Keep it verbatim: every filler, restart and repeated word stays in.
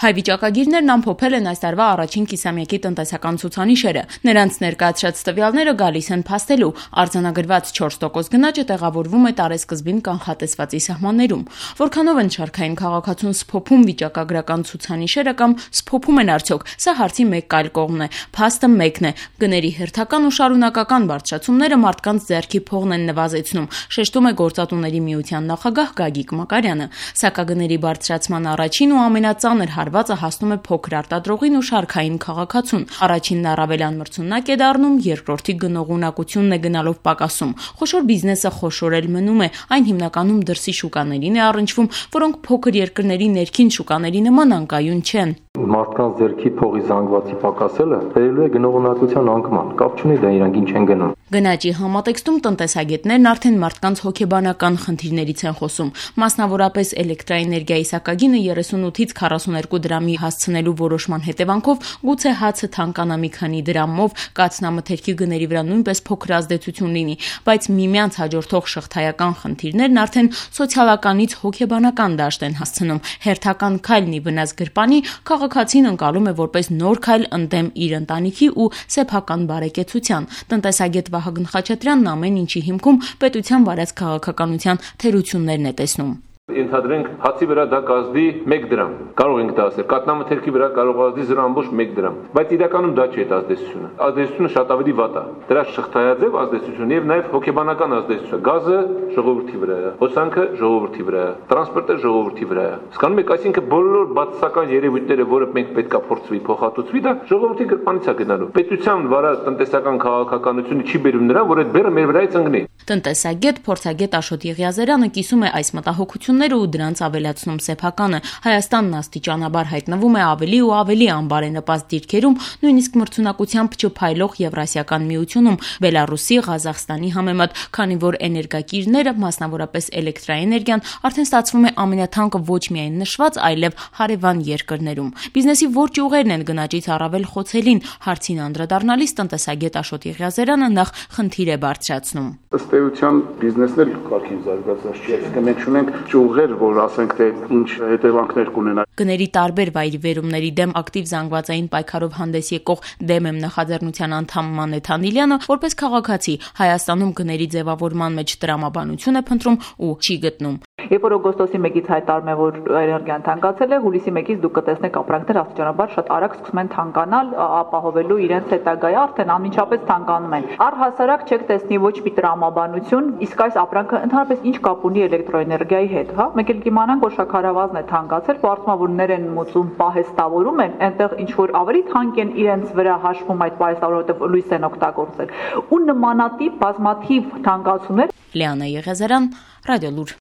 Հայ վիճակագիրներն ամփոփել են այս տարվա առաջին կիսամյակի տնտեսական ցուցանիշերը։ Նրանց ներկայացրած տվյալները գալիս են փաստելու։ Արձանագրված չորս տոկոս գնաճը տեղավորվում է տարեսկզբին կանխատեսվածի սահմաններում։ Որքանով են շարքային քաղաքացուն սփոփում վիճակագրական ցուցանիշերը կամ սփոփում են արդյոք, սա հարցի մեկ այլ կողմն է։ Փաստը մեկն է՝ գների հերթական ու շարունակական բարձրացումները մարդկանց ձեռքի փողն են նվազեցնում, շեշտում է Գործատուների միության նախագահ Գագիկ Մակարյանը։ Սակագների բարձրացման առաջին ու ամենածանր հարվածը հասնում է փոքր արտադրողին ու շարքային քաղաքացուն։ Առաջինն առավելան մրցունակ է դառնում, երկրորդի գնողունակությունն է գնալով պակասում։ Խոշոր բիզնեսը խոշոր էլ մնում է, այն հիմնականում դրսի շուկաներին է առնչվում, որոնք փոքր երկրների ներքին շուկաների նման անկայուն չեն։ Մարդկանց ձեռքի փողի զանգվածի պակասելը բերելու է գնողունակության անկման, կապ չունի դա իրանք ինչ են գնում։ Գնաճի համատեքստում տնտեսագետներն արդեն մարդկանց հոգեբանական խնդիրներից են խոսում։ Մասնավորապես էլեկտրաէներգիայի սակագինը երեսունութից քառասուներկու դրամի հասցնելու որոշման հետևանքով գուցե հացը թանկանա մի քանի դրամով, կաթնամթերքի գների վրա նույնպես փոքր ազդեցություն լինի, բայց միմյանց հաջորդող շղթայական խնդիրներն արդեն սոցիալականից հոգեբանական դաշտ են հասցնում։ Հերթական քայլն ի վնաս գրպանի քաղաքացին ընկալում է որպես նոր քայլ ընդդեմ իր ընտանիքի ու սեփական բարեկեցության։ Տնտեսագետ Վահագն Խաչատրյանն ամեն ինչի հիմքում պետության վարած քաղաքականության թերություններն է տեսնում։ Ենթադրենք հացի վրա դա կազդի մեկ դրամ, կարող ենք դա ասել, կաթնամթերքի վրա կարող ազդի զրո ամբողջ մեկ դրամ, բայց իրականում դա չի այդ ազդեցությունը։ Ազդեցությունը շատ ավելի վատ է։ Դրա շղթայաձև ազդեցություն եւ նաեւ հոգեբանական ազդեցություն։ Գազը ժողովրդի վրա է, հոսանքը ժողովրդի վրա է, տրանսպորտը ժողովրդի վրա է։ Հասկանում եք, այսինքն բոլոր բացասական երևույթները, որը մենք պետքա փորձվի փոխհատուցվի, դա ժողովրդի գրպանից է գնալու։ Պետության վարած տնտեսական քաղաքականությունը չի բերում նրան, որ այդ բեռը մեր վրայից ընկնի։ Տնտեսագետ, փորձագետ Աշոտ Եղիազարյանը կիսում է այս մտահոգությունները ու դրանց ավելացնում սեփականը։ Հայաստանն աստիճանաբար հայտնվում է ավելի ու ավելի անբարենպաստ դիրքերում, նույնիսկ մրցունակությամբ չփայլող Եվրասիական միությունում, Բելառուսի, Ղազախստանի համեմատ, քանի որ էներգակիրները, մասնավորապես էլեկտրաէներգիան, արդեն ստացվում է ամենաթանկը ոչ միայն նշված, այլև հարևան երկրներում։ Բիզնեսի որ ճյուղերն են գնաճից առավել խոցելին, հարցին անդրադառնալիս տնտեսագետ Աշոտ Եղիազարյանը նախ խնդիր է բարձրացնում։ Ըստ էության բիզնեսն էլ կարգին զարգացած չի, այսինքն մենք ունենք ճյուղեր, որ ասենք թե ինչ հետևանքներ կունենա։ Գների տարբեր վայրիվերումների դեմ ակտիվ զանգվածային պայքարով հանդես եկող Դեմ եմ նախաձեռնության անդամ Մանեթ Անիլյանը, որպես քաղաքացի, Հայաստանում գների ձևավորման մեջ տրամաբանություն է փնտրում ու չի գտնում։ Երբ որ օգոստոսի մեկից հայտարարում է, որ էներգիան թանկացել է, հուլիսի մեկից դուք կտեսնեք ապրանքներ աստիճանաբար շատ արագ սկսում են թանկանալ, ապահովելու իրենց հետագայը, արդեն անմիջապես թանկանում են։ Առհասարակ չեք տեսնի ոչ մի տրամաբանություն, իսկ այս ապրանքը ընդհանրապես ինչ կապ ունի էլեկտրոէներգիայի հետ, հա։ Մեկ էլ կիմանանք, որ շաքարավազն է թանկացել, պարտավորներ են մուծում, պահեստավորում են, այնտեղ ինչ որ ավելի թանկ են իրենց վրա հաշվում այդ պահեստավորը, որովհետև լույս են օգտագործել։ Ու նմանատիպ բազմաթիվ թանկացումներ։ Լիանա Եղիազարյան, Ռադիոլուր։